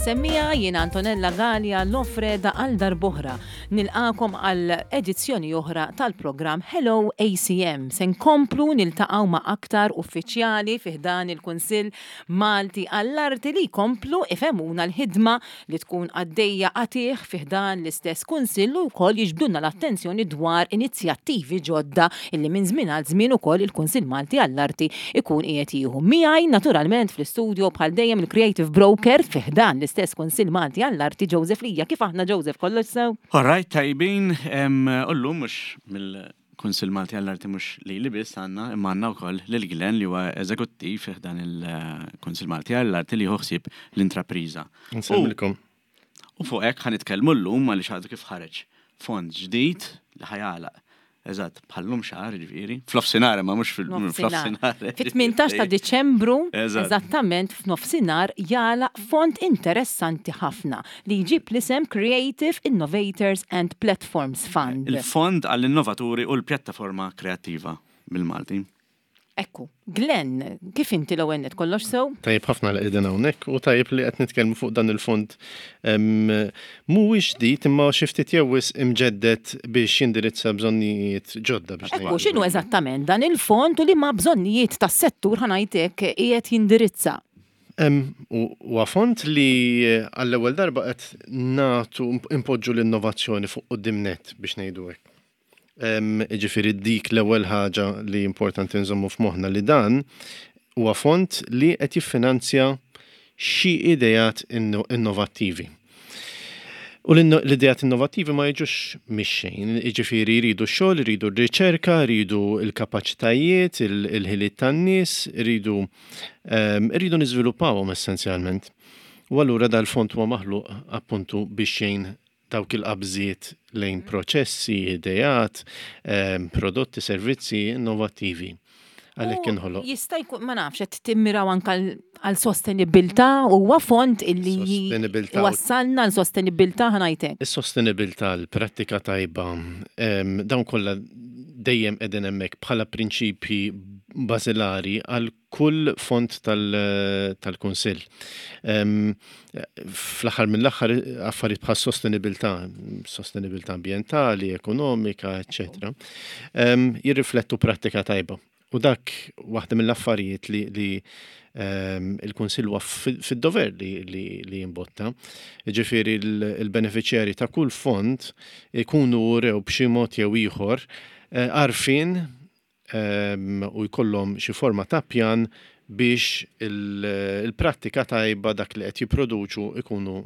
semmiegħa, jiena Antonella Galea Lofreda għal darb'oħra nilqagħkom għal edizzjoni oħra tal-programm Hello ACM. Se nkomplu niltaqgħu ma' aktar uffiċjali fi ħdan il-Kunsill Malti għall-Arti li jkomplu ifehmuna l-ħidma li tkun għaddejja qatigħ fi ħdan l-istess Kunsill u wkoll jiġbdulna l-attenzjoni dwar inizjattivi ġodda illi minn żmien għal żmien ukoll il-Kunsill Malti għall-Arti jkun qiegħed jieħu. Miegħi naturalment fl-istudio bħal dejjem il-Creative Broker fi ħdan l-istess Kunsill Malti għall-Arti Joseph Lija. Kif aħna Joseph, kollox sew? All right, tajbin, u llum mhux mill Kunsill Malti għall-Arti mhux lili biss għandna, imma għandna wkoll lil Glenn li huwa eżekuttiv fi ħdan il-Kunsill Malti għall-Arti li jieħu ħsieb l-intrapriża. Nsellmilkom. U fuq hekk ħa nitkellmu llum għaliex għadu kif ħareġ fond ġdid li ħa jagħlaq eżatt bħal-lum xahar jiġifieri, fl-ofsinhar imma mhux fil-nofsinhar. Fit-18 ta' Diċembru, eżattament f'nofsinhar jagħlaq fond interessanti ħafna li jġib l-isem Creative Innovators and Platforms Fund. Il-Fond għall-Innovaturi u l-Pjattaforma Kreattiva bil-Malti. Ekku. Glenn, kif inti l-ewwel nett kollox sew? Tajjeb ħafna li qegħdin hawnhekk u tajjeb li qed nitkellmu fuq dan il-fond mhuwiex ġdid imma xi ftit jew wisq imġedded biex jindirizza bżonnijiet ġodda biex Ekku, x'inhu eżattament dan il-fond u liema bżonnijiet tas-settur ħa ngħid hekk qiegħed jindirizza? Huwa fond li għall-ewwel darba qed nagħtu impoġġu l-innovazzjoni fuq quddiem nett biex ngħidu hekk. Jiġifieri dik l-ewwel ħaġa li importanti nżommu f'moħħna li dan huwa fond li qed jiffinanzja xi ideat innovattivi. U l-ideat innovattivi ma jiġux mix-xejn, jiġifieri jridu x-xogħol, jridu r-riċerka, jridu l-kapaċitajiet, il-ħiliet tan-nies, jridu ehm, jridu niżviluppawhom essenzjalment. U allura dal-fond huwa maħluq appuntu biex jgħin dawk il-qabżiet lejn proċessi, ideat, ehm, prodotti, servizzi innovattivi. Għalhekk inħoloq. Jista' jkun ma nafx qed timmiraw anke għal sostenibilità huwa fond illi wassalna għal sostenibilità ħa ngħidlek. Is-sostenibilità, l-prattika tajba, dawn kollha dejjem qegħdin hemmhekk bħala prinċipji bażilari għal kull fond tal-Kunsill. Fl-aħħar mill-aħħar affarijiet bħal sostenibilità, sostenibilità ambjentali, ekonomika, eċċetera, jirriflettu prattika tajba. U dak waħda mill-affarijiet li, li il-Kunsill huwa fid-dover li, li, li jimbotta. Ġifieri il-beneficjari ta' kull fond ikunu rew b'xi mod jew ieħor eh, għarfien u jkollhom xi forma ta' pjan biex il-prattika tajba dak li qed jipproduċu ikunu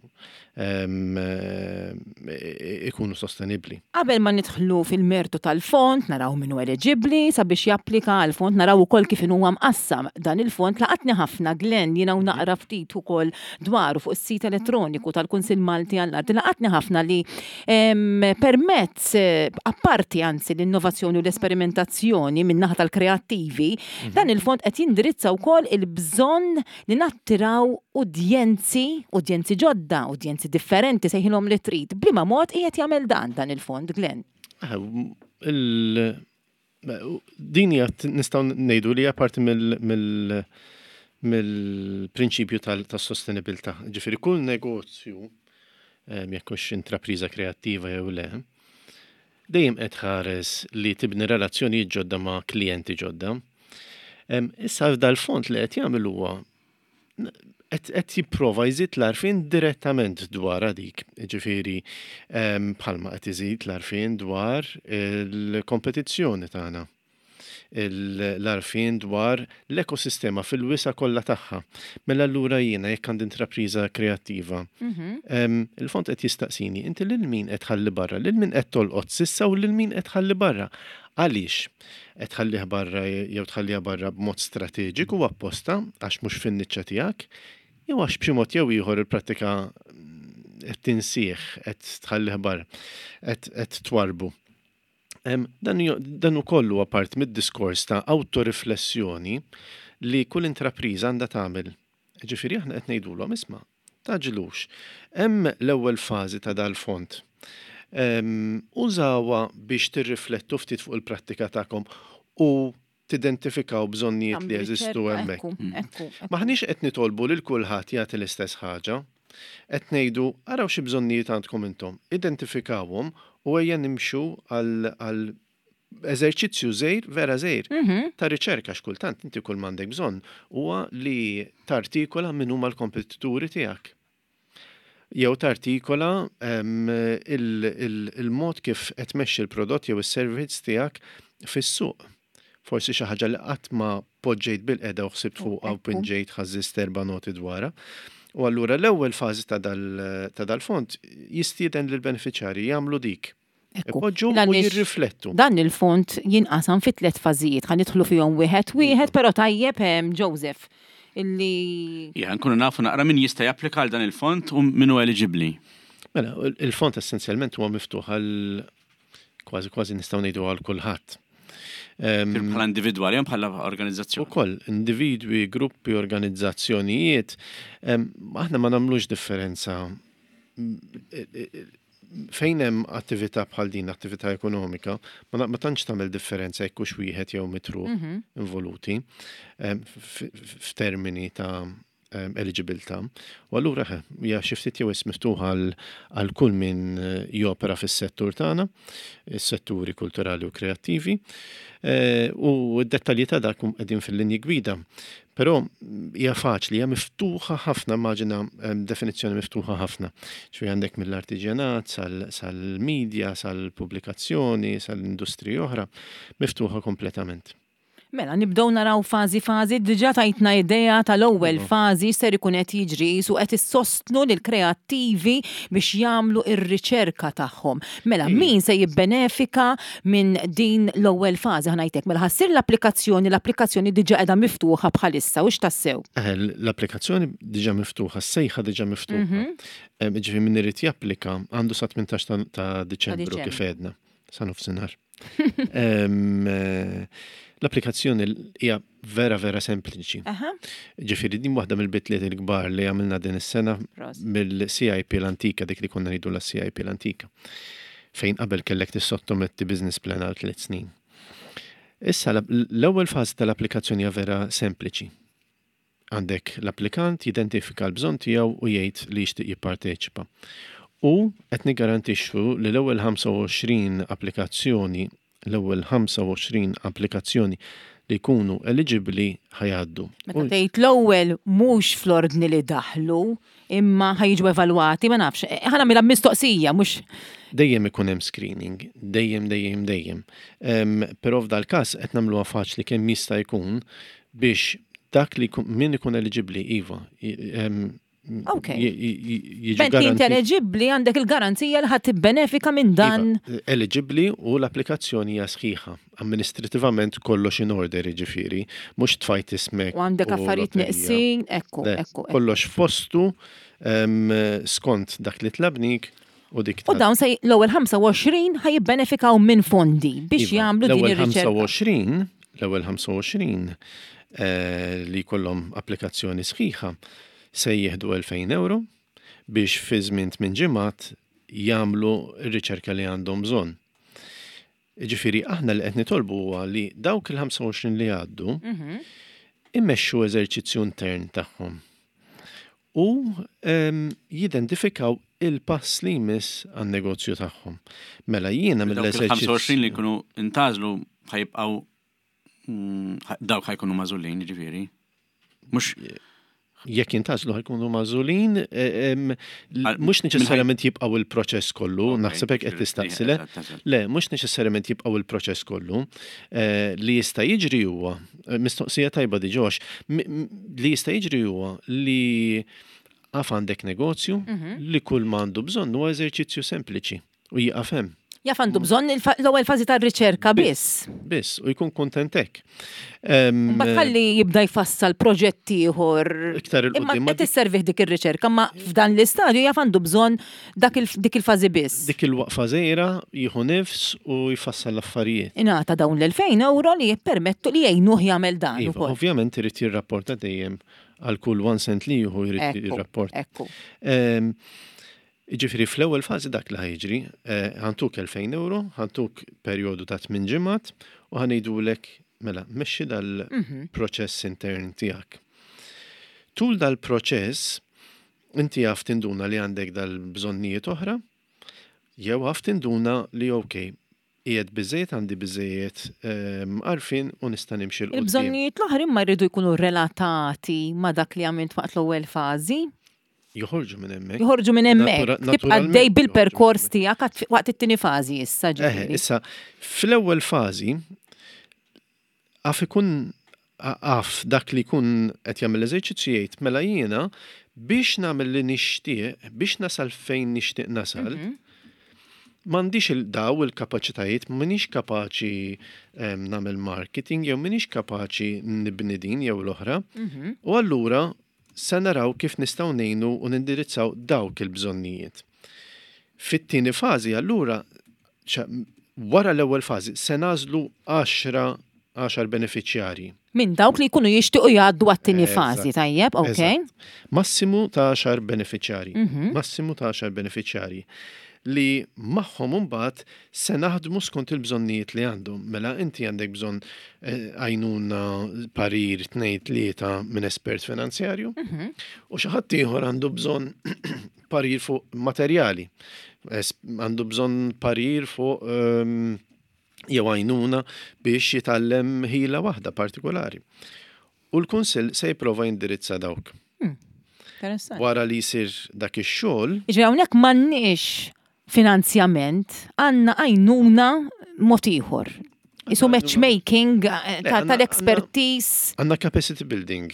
ikunu sostenibbli. Qabel ma nidħlu fil-mertu tal-fond, naraw min hu eliġibbli sabiex japplika għall-fond, naraw ukoll kif inhuwa mqassam dan il-fond, laqatni ħafna Glenn jiena u naqra ftit ukoll dwaru fuq is-sit elettroniku tal-Kunsill Malti għall-Arti, laqatni ħafna li Permezz, apparti anzi l-innovazzjoni u l-esperimentazzjoni min-naħa tal-kreattivi, dan il-fond qed jindirizza wkoll il-bżonn li nattiraw udjenzi, udjenzi ġodda, udjenzi differenti, sejħilhom li trid. B'liema mod qiegħed jagħmel dan dan il-fond, Glenn? Din hija nistgħu ngħidu li hija parti mill-prinċipju tas-sostenibilità. Ġifieri kull negozju, jekk hux intrapriża kreattiva jew le, dejjem qed tħares li tibni relazzjonijiet ġodda ma' klijenti ġodda. Issa dal-fond li qed jagħmel huwa qed jipprova jżid l-għarfien direttament dwar dik, ġifieri ehm, bħalma qed iżid l-għarfien dwar il-kompetizzjoni tagħna l-għarfien dwar l-ekosistema fil-wisa kollha tagħha. Mela allura jiena jekk għandi intrapriża kreattiva, mhm. ehm, il-fond qed jistaqsini, inti lil min qed tħalli barra, lil min qed tolqot sissa u lil min qed tħalli barra. Għaliex? Qed tħallih barra jew tħalliha barra b'mod strateġiku apposta għax mhux fin-niċċa tiegħek, jew għax b'xi mod jew ieħor il-prattika qed tinsih, qed tħallih barra, qed twarrbu. Dan ukoll huwa parti mid-diskors ta' awtoriflessjoni li kull intrapriża għandha tagħmel. Ġifieri aħna qed ngħidulhom isma' Tgħaġġlux. Hemm l-ewwel fażi ta' dal-fond. Użawha biex tirriflettu ftit fuq il-prattika tagħkom u tidentifikaw bżonnijiet li jeżistu hemmhekk. M'aħniex qed nitolbu lil kulħadd jagħti l-istess ħaġa. Qed ngħidu araw xi bżonnijiet għandkom intom, identifikawhom u ejja nimxu għal eżerċizzju żgħir, vera żgħir, ta' riċerka x'kultant inti kull m'għandek bżonn huwa li tartikola min huma l-kompetituri tiegħek. Jew tartikola il-mod kif qed tmexxi l-prodott jew is-servizz tiegħek fis-suq. Forsi xi ħaġa li qatt ma poġġejt bilqiegħda u ħsibt fuqha u pinġejt ħażżist erba' noti dwarha. U allura l-ewwel fażi ta' dal-fond jistieden lill-benefiċjarji jagħmlu dik. Ipoġġu u jirriflettu. Dan il-fond jinqasam fi tliet fażijiet, ħa nidħlu fihom wieħed wieħed, però tajjeb Joseph illi. Ija, nkunu nafu naqra min jista' japplika għal dan il-fond u min hu eliġibbli. Mela, il-fond essenzjalment huwa miftuħ għal kważi kważi nistgħu ngħidu għal kulħadd. Bħala individwali jew bħala organizzazzjoni? Ukoll, individwi, gruppi, organizzazzjonijiet, aħna ma nagħmlux differenza fejn hemm attività bħal din, attività ekonomika, ma tantx tagħmel differenza jekk hux wieħed jew mitru involuti f'termini ta' eliġibilità. U allura hija xi ftit jew wisq miftuħa għal kull min jopera fis-settur tagħna, is-setturi kulturali u kreattivi. U d-dettalji ta' dak qegħdin fil-linji gwida. Però hija faċli, hija miftuħa ħafna, immaġina definizzjoni miftuħa ħafna. Ġifieri għandek mill-artiġjanat sal-media, sal-pubblikazzjoni, sal-industriji oħra, miftuħa kompletament. Mela, nibdew naraw fażi fażi, diġà tajtna idea tal-ewwel fażi x'ser ikun qed jiġri, qisu qed issostnu lill-kreattivi biex jagħmlu r-riċerka tagħhom. Mela, min se jibbenefika minn din l-ewwel fażi, ħa ngħid hekk, mela ħa ssir l-applikazzjoni, l-applikazzjoni diġà qiegħda miftuħa bħalissa, hux tassew? Eħe, l-applikazzjoni diġà miftuħa, s-sejħa diġà miftuħa. Jiġifieri min irid japplika għandu sa 18 ta' Diċembru kif għedna, sa nofsinhar. L-applikazzjoni hija vera vera sempliċi. Ġifieri din waħda mill-bidliet il-kbar li għamilna din is-sena mill-CIP l-antika dik li konna ngħidu la CIP l-antika. Fejn qabel kellek tissottometti business plan għal tliet snin. Issa l-ewwel fażi tal-applikazzjoni hija vera sempliċi. Għandek l-applikant jidentifika l-bżonn tiegħu u jgħid li jixtieq jipparteċipa. U qed niggarantixxu li l-ewwel 25 applikazzjoni, l-ewwel 25 applikazzjoni li jkunu eliġibbli ħa jgħaddu. Meta tgħid l-ewwel mhux fl-ordni li daħlu, imma ħa jiġu evalwati, ma nafx, ħa nagħmilha mistoqsija mhux. Dejjem ikun hemm screening, dejjem, dejjem, dejjem. Però f'dal-każ qed nagħmluha faċli kemm jista' jkun biex dak li min ikun eliġibbli iva. Ok. Meta inti eliġibbli għandek il-garanzija li ħadd tibbenefika minn dan. Iva, eliġibbli u l-applikazzjoni hija sħiħa. Amministrativament kollox in order jiġifieri, mhux tfajt ismek. U għandek affarijiet neqsin, ekku, ekku. Kollox f'postu skont dak li tlabnik u dik U dawn se l-ewwel 25 ħa jibbenefikaw minn fondi biex iva, jagħmlu din ir-riċerka. 25, l-ewwel 25 eh, li jkollhom applikazzjoni sħiħa se jieħdu 2000 euro biex fi żmien 8 ġimgħat jagħmlu r-riċerka li għandhom bżonn. Jiġifieri aħna li qed nitolbu huwa li dawk il-25 li jgħaddu mhm. immexxu eżerċizzju intern tagħhom u ehm, jidentifikaw il-pass li jmiss għan-negozju tagħhom. Mela jiena mill-eżerċizzju. 25 li jkunu intażlu ħajbqgħu mm, dawk ħajkunu mażulin, ġifieri. Mhux jekk jintgħażlu ħajkunu magħżulin, e, mhux neċessarjament jibqgħu il-proċess kollu, naħseb hekk qed tistaqsi le. Le, mhux neċessarjament jibqgħu il-proċess kollu. E, li jista' jiġri huwa, e, mistoqsija tajba di ġox, li jista' jiġri huwa li għaf għandek negozju mhm. li kull ma għandu bżonn huwa eżerċizzju sempliċi. U jieqaf hemm. Jaf għandu bżonn l-ewwel fażi tar-riċerka biss. Biss, u jkun kuntent hekk. Mbagħad ħalli jibda jfassal proġett ieħor. Iktar il Imma qed isservih dik ir-riċerka, ma f'dan l-istadju jaf għandu bżonn dik il-fażi biss. Dik il-waqfa żgħira jieħu nifs u jfassal l-affarijiet. Ingħata dawn l-2000 euro li jippermettu li jgħinuh jagħmel dan iva, ukoll. Ovvjament irid jirrapporta dejjem għal kull one cent li jieħu jrid jirrapporta. Ekku. Jiġifieri fl-ewwel fażi dak li ħa jiġri, ħa ntuk 2000 ewro, ħa ntuk perjodu ta' tmien ġimgħat u ħa ngħidulek mela mexxi dal-proċess intern tiegħek. Tul dal-proċess Inti jaf tinduna li għandek dal-bżonnijiet oħra, jew jaf tinduna li ok, qiegħed biżejjed għandi biżejjed għarfien u nista' nimxi 'l quddiem. Il-bżonnijiet l-oħra imma jridu jkunu relatati ma' dak li għamilt waqt l-ewwel fażi. Joħorġu minn hemmhekk. Joħorġu minn hemmhekk. Tibqa' għaddej bil-perkors tiegħek waqt it-tieni fażi issa ġifieri. Issa, fl-ewwel fażi għaf ikun għaf dak li jkun qed jagħmel l-eżerċizzju jgħid mela jiena biex nagħmel li nixtieq, biex nasal fejn nixtieq nasal, m'għandix il-daw il-kapaċitajiet, m'iniex kapaċi nagħmel marketing jew m'iniex kapaċi nibni din jew l-oħra. U allura se naraw kif nistgħu ngħinu u nindirizzaw dawk il-bżonnijiet. Fit-tieni fażi allura wara l-ewwel fażi se nagħżlu 10 10 benefiċjarji. Minn dawk li jkunu jixtiequ jgħaddu għat-tieni fażi, tajjeb, ok. Massimu ta' 10 benefiċjarji. Massimu ta' 10 benefiċjarji li magħhom imbagħad se naħdmu skont il-bżonnijiet li għandhom. Mela inti għandek bżonn għajnuna parir tnejn tlieta minn espert finanzjarju u xi ħadd ieħor għandu bżonn parir fuq materjali, għandu bżonn parir fuq jew għajnuna biex jitgħallem ħila waħda partikolari. U l-Kunsill se jipprova jindirizza dawk. Wara li jsir dak ix-xogħol. Jiġifieri hawnhekk m'għandniex finanzjament, għandna għajnuna mod ieħor. Isu matchmaking tal-expertise. Għandna capacity building.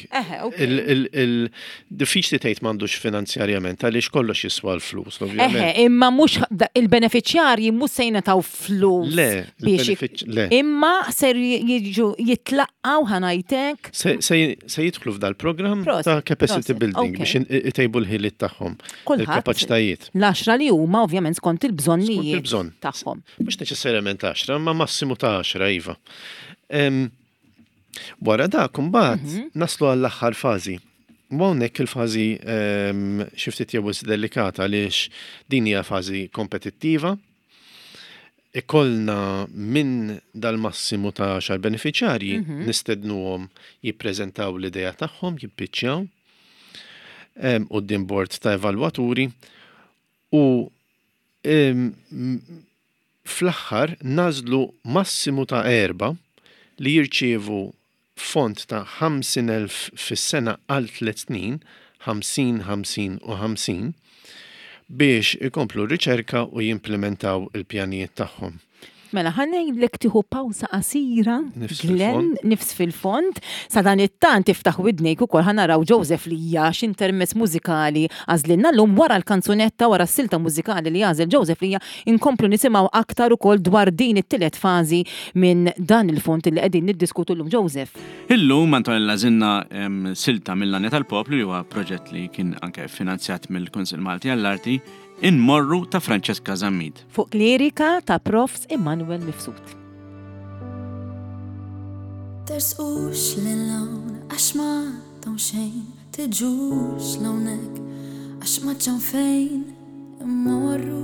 Diffiċli tgħid m'għandux finanzjarjament għaliex kollox jiswa l-flus, ovvjament. Imma mhux il-benefiċjarji mhux se jingħataw flus. Le, le. Imma ser jiġu jitlaqgħu ħanajtek. Se jidħlu f'dal-programm ta' capacity building biex itejbu l-ħiliet tagħhom. Il-kapaċitajiet. L-10 li huma ovvjament skont il-bżonnijiet tagħhom. Mhux neċessarjament 10, ma massimu ta' 10 iva. Wara dak imbagħad naslu għall-aħħar fażi. U hawnhekk il-fażi xi ftit jew delikata għaliex din hija fażi kompetittiva. Ikollna minn dal-massimu ta' 10 benefiċjarji nistednuhom jippreżentaw l-idea tagħhom, jippiċċjaw quddiem bord ta' evalwaturi u fl-aħħar nagħżlu massimu ta' 4 li jirċievu fond ta' 50,000 fis-sena għal 3 snin, 50, 50 u 50, biex ikomplu r-riċerka u jimplimentaw il-pjanijiet tagħhom. Mela, ħa ngħidlek tieħu pawsa qasira, Glenn, nifs fil-fond. Sa dan it-tant iftaħ widnejk ukoll ħa naraw Joseph Lija x'intermezz mużikali għażlilna llum wara l-kanzunetta, wara s-silta mużikali li għażel Joseph Lija, inkomplu nisimgħu aktar ukoll dwar din it-tielet fażi minn dan il-fond li qegħdin niddiskutu llum. Joseph. Illum Antonella għażilna silta mill-Għanja tal-Poplu li huwa proġett li kien anke finanzjat mill-Kunsill Malti għall-Arti. Inmorru ta' Francesca Zammit. Fuq lirika ta' Profs Immanuel Mifsud. Tersqux lil hawn għax m'għandhom xejn, tiġux l'hawnhekk għax m'għadx hawn fejn immorru.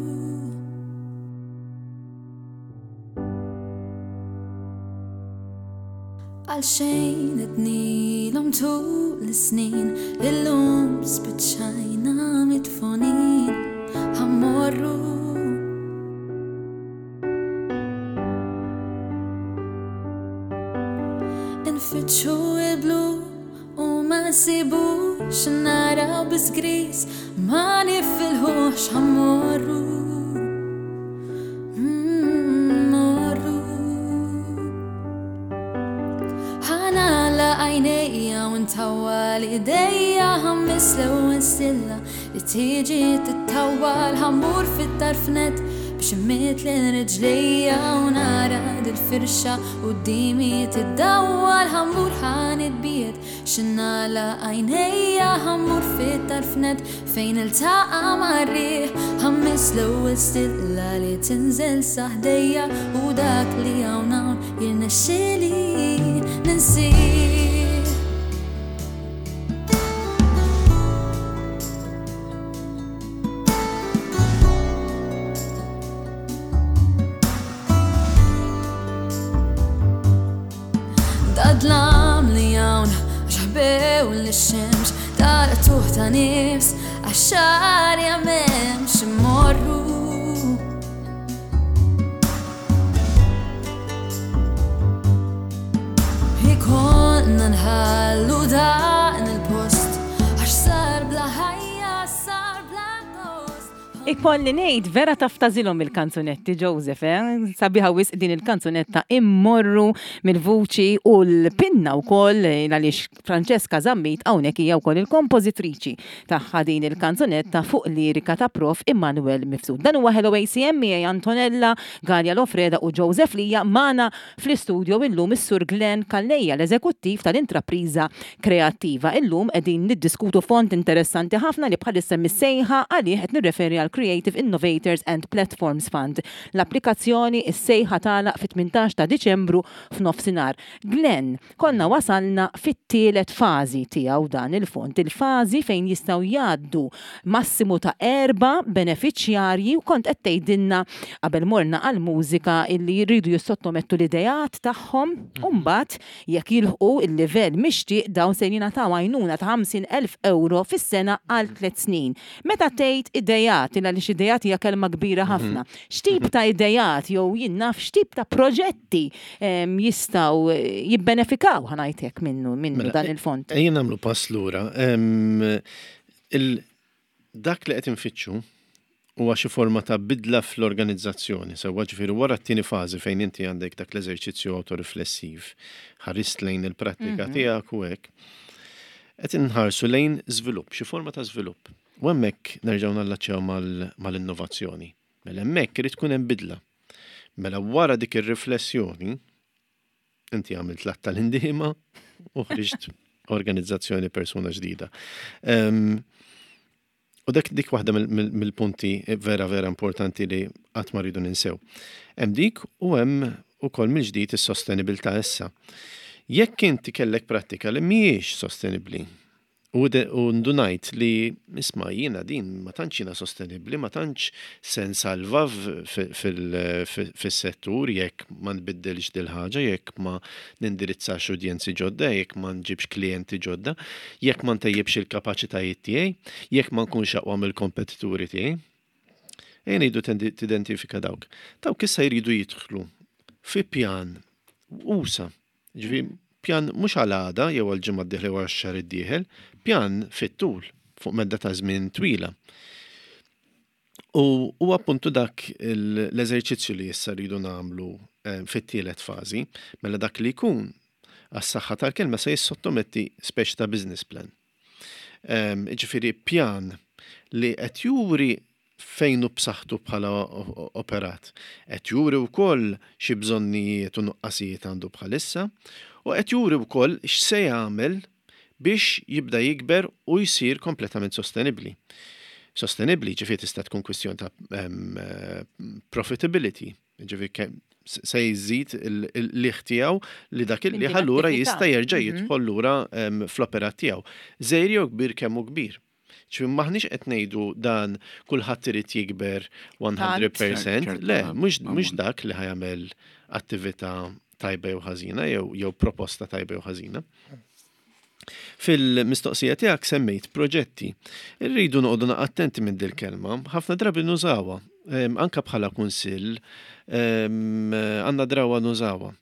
Għalxejn għednilhom tul is-snin, illum spiċċajna midfunin, ħa mmorru. Infittxu il-blu u ma nsibux, naraw biss gris, ma nifilħux, ħa mmorru. Mmorru. Ħa nagħlaq għajnejja u ntawwal idejja, ħammis l-ewwel stilla li tiġi tittawwal, ħammur fit-tarf nett biex immiet lil riġlejja u nara dil-firxa quddiemi tiddawwal, ħammur ħa nitbiegħed x'nagħlaq għajnejja, ħammur fit-tarf nett fejn iltaqa' mar-riħ, ħammis l-ewwel stilla li tinżel sa ħdejja u dak li hawn hawn jirnexxieli ninsih. Dadlam li hawn għax ħbew lix-xemx, dal-qtugħ ta' nifs. Għax arja m'hemmx immorru. Ikollna nħallu dan il-post għax sar bla ħajja, sar bla gost. Ikolli ngħid vera taf tażilhom il-kanzunetti Joseph, eh? Sabiħa wisq din il-kanzunetta immorru mill-vuċi u l-pinna wkoll eh, għaliex Francesca Zammit hawnhekk hija wkoll il-kompożitriċi tagħha din il-kanzunetta fuq lirika ta' Prof Immanuel Mifsud. Dan huwa Hello ACM miegħi Antonella, Galea Lofreda u Joseph Lija magħna fl-istudio illum is-Sur Glenn Calleja l-eżekuttiv tal-Intrapriża Kreattiva. Illum qegħdin niddiskutu fond interessanti ħafna li bħalissa hemm is-sejħa għalih qed nirreferi għal Creative Innovators and Platforms Fund. L-applikazzjoni, is-sejħa tagħlaq fit-18 ta' Diċembru f'nofsinhar. Glenn, Konna wasalna fit-tielet fażi tiegħu dan il-fond, il-fażi fejn jistgħu jgħaddu massimu ta' erba' benefiċjarji u kont qed tgħidilna qabel morna għall-mużika illi jridu jissottomettu l-ideat tagħhom u mbagħad jekk jilħqu l-livell mixtieq dawn se jingħataw għajnuna ta' 50,000 ewro fis-sena għal tliet snin. Meta tgħid ideat, il għaliex ideat hija kelma kbira ħafna, x'tip ta' ideat jew jien naf x'tip ta' proġetti jistgħu jibbenefikaw ħa ngħid hekk minnu minnu mela, dan il-fond? Ejja nagħmlu pass lura. Dak li qed infittxu huwa xi forma ta' bidla fl-organizzazzjoni, sewwa ġifieri wara t-tieni fażi fejn inti għandek dak l-eżerċizzju awtoriflessiv, ħarist lejn il-prattika tiegħek u hekk. Qed inħarsu lejn żvilupp, xi forma ta' żvilupp. U hemmhekk nerġgħu nallaċċjaw mal-innovazzjoni. Mela hemmhekk irid tkun hemm bidla. Mela wara dik ir-riflessjoni, inti għamilt l-att tal-indiema u ħriġt organizzazzjoni persuna ġdida. U dak dik waħda mill-punti vera vera importanti li qatt ma rridu ninsew. Hemm dik u hemm ukoll mill-ġdid is-sostenibilità issa. Jekk inti kellek prattika li mhijiex sostenibbli u ndunajt li isma' jiena din ma tantx jiena sostenibbli, ma tantx se nsalva fis-settur jekk ma nbiddilx dil-ħaġa, jekk ma nindirizzax udjenzi ġodda, jekk ma nġibx klijenti ġodda, jekk ma ntejjibx il-kapaċitajiet tiegħi, jekk ma nkunx aqwa mill-kompetituri tiegħi. Ejja ngħidu tidentifika dawk. Dawk issa jridu jidħlu fi pjan usa. Ġifieri pjan mhux għal għada jew għal ġimgħa d-dieħla jew għax-xahar id-dieħel, pjan fit-tul fuq medda ta' żmien twila. U huwa appuntu dak l-eżerċizzju li issa rridu nagħmlu eh, fit-tielet fażi, mela dak li jkun għas-saħħa tal-kelma se jissottometti speċi ta' business plan. Ehm, ġifieri pjan li qed juri fejn hu b'saħħtu bħala operat. Qed juri wkoll xi bżonnijiet u nuqqasijiet għandu bħalissa u qed juri wkoll x'se jagħmel biex jibda jikber u jsir kompletament sostenibbli. Sostenibbli ġifieri tista' tkun kwistjoni ta' profitability, ġifieri se jżid il-liħ tiegħu li dak il-liħ allura jista' jerġa' mhm. jidħol lura fl-operat tiegħu. Żgħir jew kbir kemm hu kbir. Ġifieri m'aħniex qed ngħidu dan kulħadd irid jikber 100%, le, mhux dak li ħajamel attività tajba jew ħażina jew proposta tajba jew ħażina. Fil-mistoqsija tiegħek semmejt proġetti. Irridu noqogħdu attenti minn dil-kelma, ħafna drabi nużawha, anka bħala kunsill għandna drawa nużawha.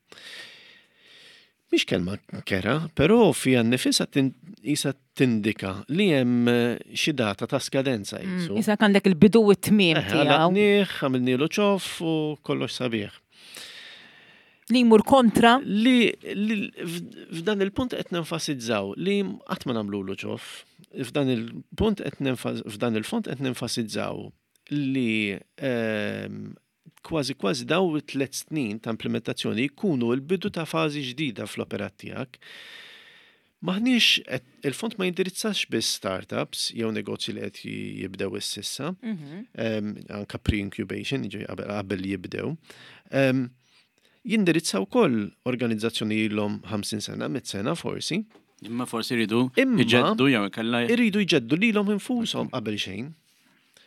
Mhix kelma kera, però fiha nnifisha qisha tindika li hemm xi data ta' skadenza qisu. Issa għandek il-bidu u t-tmiem tiegħu. Għalaqnieh, għamilnielu ċoff u kollox sabiħ. Li jmur kontra? Li f'dan il-punt qed nenfasizzaw li qatt ma nagħmlulu ċoff. F'dan il-punt qed f'dan il-fond qed nenfasizzaw li ehm, kważi kważi dawn it-tlet snin ta' implementazzjoni jkunu l-bidu ta' fażi ġdida fl-operat tiegħek. Maħniex il-fond ma jindirizzax biss startups jew negozji li qed jibdew ississa, mhm. anka pre-incubation, qabel jibdew. Jindirizza wkoll organizzazzjoni ilhom 50 sena, 100 sena forsi. Imma forsi jridu jġeddu jew ikella. Iridu jġeddu lilhom infushom qabel xejn.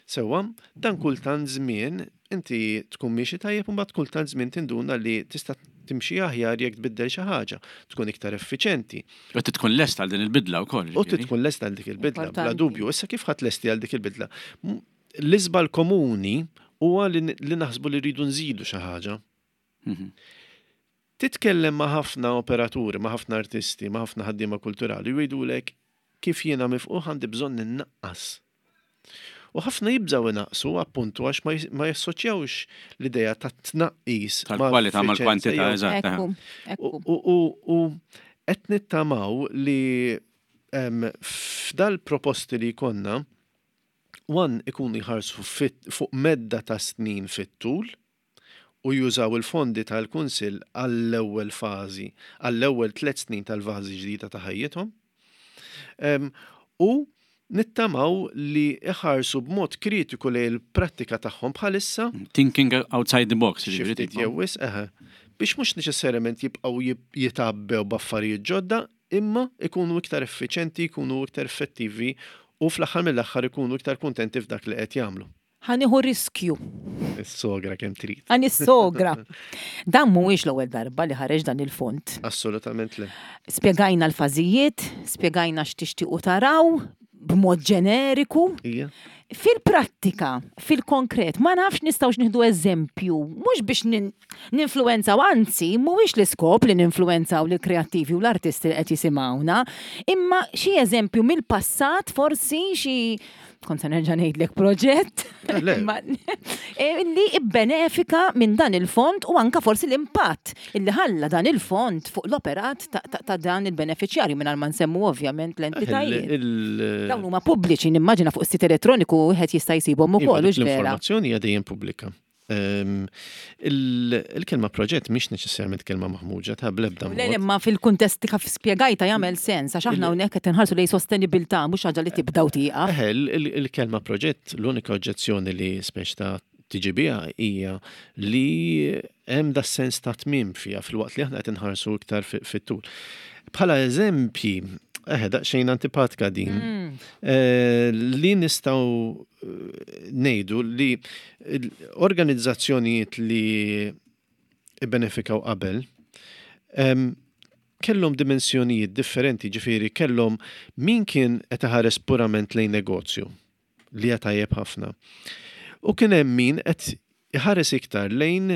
Sewwa, dan kultant żmien inti tkun miexi tajjeb u mbagħad kultant żmien tinduna li tista' timxi aħjar jekk tbiddel xi ħaġa, tkun iktar effiċenti. U trid tkun lest għal din il-bidla wkoll. U trid tkun lest għal dik il-bidla, bla dubju. Issa kif ħadd lesti għal dik il-bidla? L-iżbal komuni huwa li naħsbu li rridu nżidu xi ħaġa. Mhm. Titkellem ma' ħafna operaturi, ma' ħafna artisti, ma' ħafna ħaddiema kulturali u jgħidulek kif jiena mifqugħ għandi bżonn innaqqas. U ħafna jibżgħu inaqqsu appuntu għax ma jassoċjawx l-idea ta' tnaqqis tal-kwalità mal-kwantità, eżatt. U qed nittamaw li f'dal-proposti li jkollna, one ikunu jħarsu fuq medda ta' snin fit-tul, u jużaw il-fondi tal-Kunsill għall-ewwel fażi, għall-ewwel tlett snin tal-fażi ġdida ta' ħajjithom. U nittamaw li iħarsu b'mod kritiku lejn il-prattika tagħhom bħalissa. Thinking outside the box, jiġifieri. Xi ftit jew wisq, eħe. Biex mhux neċessarjament jibqgħu jitgħabbew b'affarijiet ġodda, imma ikunu iktar effiċenti, jkunu iktar effettivi u fl-aħħar mill-aħħar ikunu iktar kuntenti f'dak li qed jagħmlu. Ħa nieħu riskju. Is-sogra kemm trid. Ħa nissogra. Dan mhuwiex l-ewwel darba li ħareġ dan il-fond. Assolutament le. Spjegajna l-fażijiet, spjegajna x'tixtiequ taraw b'mod ġeneriku. Ija. Fil-prattika, fil-konkret, ma nafx nistgħux nieħdu eżempju, mhux biex ninfluwenzaw, anzi, mhuwiex l-iskop li ninfluwenzaw lill-kreattivi u l-artisti li qed jisimgħuna, imma xi eżempju mill-passat forsi xi kont se nerġa' ngħidlek proġett eh, li ibbenefika minn dan il-fond u anka forsi l-impatt illi ħalla dan il-fond fuq l-operat ta' dan il-beneficjarju mingħajr ma nsemmu ovvjament l-entitajiet. Dawn huma pubbliċi nimmaġina fuq is-sit elettroniku wieħed jista' jsibhom ukoll iva, L-informazzjoni hija dejjem pubblika. Ehm, il-kelma proġett mhix neċessarjament kelma maħmuġa ta' blebda. Le, imma fil-kuntest kif spjegajta jagħmel sens għax aħna hawnhekk qed inħarsu lejn sostenibilità mhux ħaġa li tibda u tieqaf. Eħe, il-kelma proġett l-unika oġġezzjoni li spex ta' tiġi biha hija li hemm da sens ta' tmiem fiha filwaqt li aħna qed inħarsu iktar fit-tul. Bħala eżempji, eħe daqsxejn antipatika din, mm. eh, li nistgħu eh, ngħidu li organizzazzjonijiet li ibbenefikaw qabel kellhom dimensjonijiet differenti, ġifieri kellhom min kien qed iħares purament lejn negozju li hija tajjeb ħafna. U kien hemm min qed iħares iktar lejn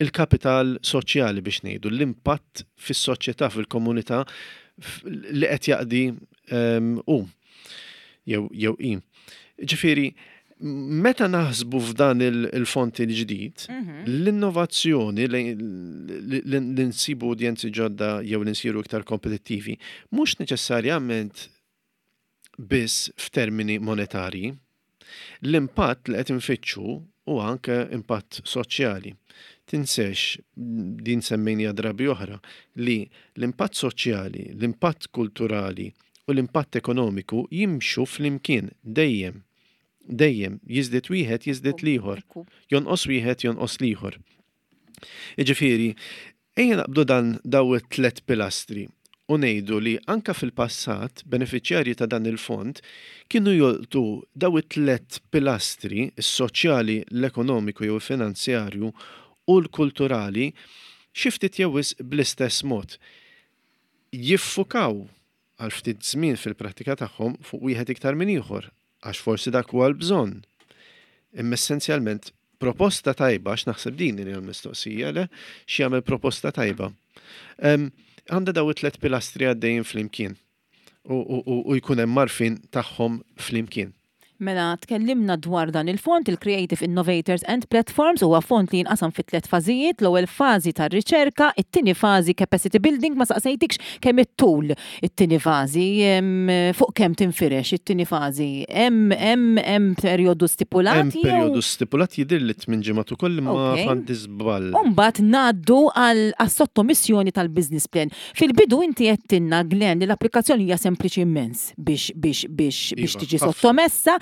il-kapital soċjali biex ngħidu, l-impatt fis-soċjetà, fil-komunità li qed jaqdi hu jew jew hi. Ġifieri, meta naħsbu f'dan il-fond il-ġdid, mhm. l-innovazzjoni li nsibu udjenzi ġodda jew li nsiru iktar kompetittivi, mhux neċessarjament biss f'termini monetarji. L-impatt li qed infittxu huwa anke impatt soċjali. Tinsex, din semmejniha drabi oħra, li l-impatt soċjali, l-impatt kulturali u l-impatt ekonomiku jimxu flimkien dejjem. Dejjem, jiżdied wieħed jiżdied l-ieħor. Jonqos wieħed jonqos l-ieħor. Jiġifieri, ejja naqbdu dan daw it-tlett pilastri u ngħidu li anke fil-passat benefiċjarji ta' dan il-fond kienu jolqtu daw it-tlett pilastri, is-soċjali, l-ekonomiku jew il-finanzjarju u l-kulturali xi ftit jew wisq bl-istess mod. Jiffukaw għal ftit żmien fil-prattika tagħhom fuq wieħed iktar minn ieħor, għax forsi dak huwa l-bżonn. Imma essenzjalment proposta tajba, għax naħseb din hija l-mistoqsija, le, x'jagħmel proposta tajba. Għandha daw it-tlet pilastri għaddejjin flimkien u jkun hemm għarfien tagħhom flimkien. Mela, tkellimna dwar dan il-fond, il-Creative Innovators and Platforms, huwa fond li jinqasam fi tlett fażijiet, l-ewwel fażi tar-riċerka, it-tieni fażi capacity building, ma saqsejtikx kemm ittul it-tieni fażi, fuq kemm tinfirex it-tieni fażi, hemm hemm hemm perjodu stipulat Hemm perjodu stipulat jidhirli tmien ġimgħat ukoll imma għandi żball. U mbagħad ngħaddu għas-sottomissjoni tal-business plan. Fil-bidu inti għedtilna, Glenn, li l-applikazzjoni hija sempliċi immens. biex biex biex biex iva, tiġi sottomessa.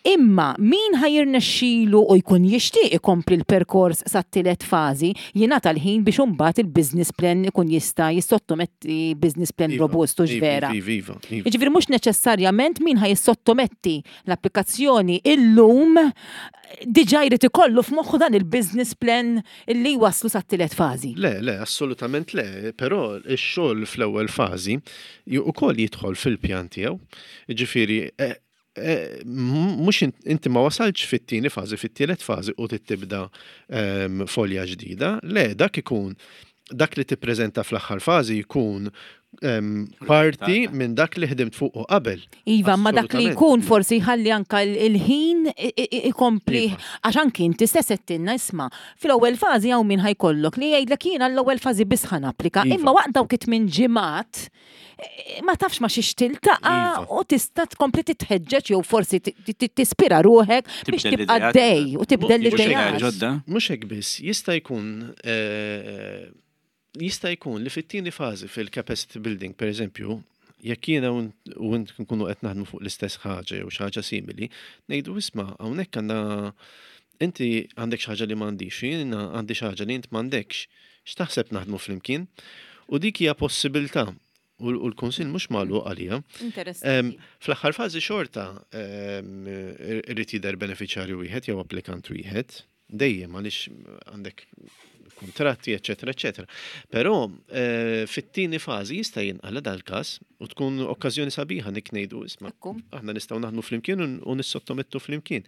Imma min ħa jirnexxilu u jkun jixtieq ikompli l-perkors sat-tielet fażi, jingħata l-ħin biex imbagħad il-business plan ikun jista' jissottometti business plan robust, hux vera? Iva, iva, iva. Jiġifieri mhux neċessarjament min ħa jissottometti l-applikazzjoni illum diġà jrid ikollu f'moħħu dan il-business plan illi jwasslu sat-tielet fażi. Le, le, assolutament le, però x-xogħol fl-ewwel fażi ukoll jidħol fil-pjan tiegħu. Jiġifieri Eh, mhux inti ma wasaltx fit-tieni fażi, fit-tielet fażi u tibda ehm, folja ġdida, le dak ikun dak li tippreżenta fl-aħħar fażi jkun ehm, parti minn dak li ħdimt fuq qabel. Iva, ma dak li jkun forsi jħalli anka il-ħin ikompli iva. għax anki inti stess qed isma' fl-ewwel fażi hawn min ħajkollok li jgħidlek jiena l-ewwel fażi biss ħa napplika, iva. imma waqt dawk it-tmien ġimgħat ma tafx ma xiex tiltaqa iva. u tista' tkompli titħeġġeġ jew forsi tispira ruħek biex tibqa' dej u tibdel l-idejat. Mhux hekk biss, jista' jkun eh, jista' jkun li fit-tieni fażi fil-capacity building, per eżempju, jekk jiena u int nkunu qed naħdmu fuq l-istess ħaġa jew xi ħaġa simili, ngħidu isma' hawnhekk għandna inti għandek xi ħaġa li m'għandix, jiena għandi xi ħaġa li int m'għandekx. X'taħseb naħdmu flimkien? U dik hija possibilità u l-Kunsill mhux magħluq għaliha. Interessanti. Fl-aħħar fażi xorta irid jidher benefiċjarju wieħed jew applikant wieħed, dejjem għaliex għandek kuntratti, eċċetera, eċċetera. Però fit-tieni fażi jista' jinqala' dal-każ u tkun okkażjoni sabiħa nik ngħidu isma' aħna nistgħu naħdmu flimkien u nissottomettu flimkien.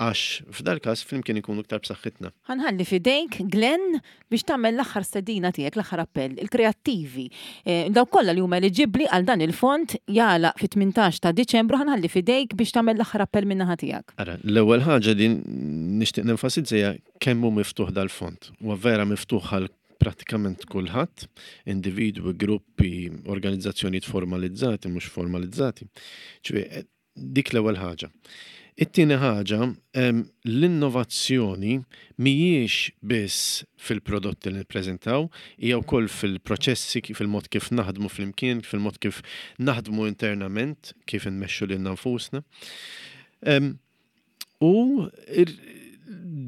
Għax f'dal-każ flimkien inkunu iktar b'saħħitna. Ħa nħalli f'idejk, Glenn, biex tagħmel l-aħħar stedina tiegħek, l-aħħar appell, il-kreattivi, dawk kollha li huma eliġibbli għal dan il-fond jagħlaq fit-18 ta' Diċembru, ħa nħalli f'idejk biex tagħmel l-aħħar appell min-naħa tiegħek. Ara, l-ewwel ħaġa li nixtieq nenfasizza hija kemm hu miftuħ dal-fond. Huwa vera miftuħ għal prattikament kulħadd, individwi, gruppi, organizzazzjonijiet formalizzati, mhux formalizzati. Ġifieri, Dik l-ewwel ħaġa. It-tieni ħaġa, l-innovazzjoni mhijiex biss fil-prodotti li nippreżentaw, hija wkoll fil-proċessi, fil-mod kif naħdmu flimkien, fil-mod kif naħdmu internament, kif inmexxu lilna nfusna. U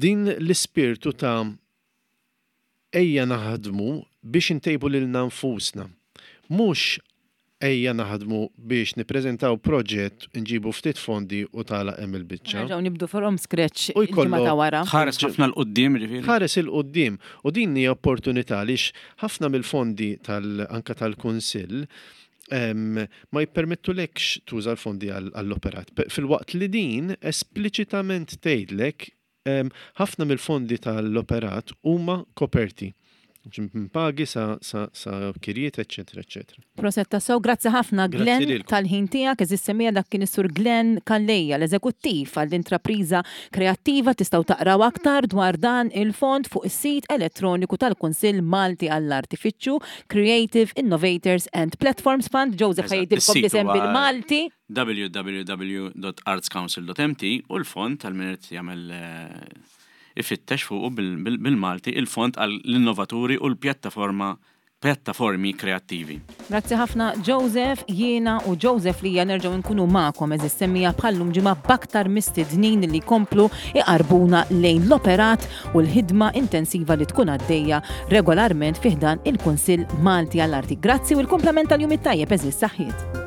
din l-ispirtu ta' Ejja naħdmu biex intejbu lilna nfusna. Mhux ejja naħdmu biex nippreżentaw proġett, nġibu ftit fondi u tagħlaq hemm il-biċċa. Nerġgħu nibdu from scratch il-ġimgħa ta' wara. Tħares ħafna 'l quddiem jiġifieri. Tħares 'il quddiem u din hija opportunità għaliex ħafna mill-fondi tal anke tal-Kunsill ma jippermettulekx tuża l-fondi għall-operat. Filwaqt li din espliċitament tgħidlek Ħafna mill-fondi tal-operat huma koperti. Minn pagi sa, sa, sa kirjiet, eċċetera, eċċetera. Proset tassew, grazzi ħafna Glenn tal-ħin tiegħek, eżis semija dak kien is-Sur Glenn Calleja, l-eżekuttiv għall-intrapriża kreattiva tistgħu taqraw aktar dwar dan il-fond fuq is-sit elettroniku tal-Kunsill Malti għall-Arti fittxu Creative Innovators and Platforms Fund. Joseph ħa jgħidilkom l-isem bil-Malti. www.artscouncil.mt u l-fond għal min irid jagħmel ifittex fuqu bil-Malti il-fond għall-innovaturi u l-pjattaforma pjattaformi kreattivi. Grazzi ħafna Joseph, jiena u Joseph Lia nerġgħu nkunu magħkom għeżież semmiegħa bħal-lum ġimgħa b'aktar mistednin li jkomplu iqarrbuna lejn l-operat u l-ħidma intensiva li tkun għaddejja regolarment fi ħdan il-Kunsill Malti għall-Arti. Grazzi u l-kumplament tal-jum it-tajjeb għeżież saħħiet.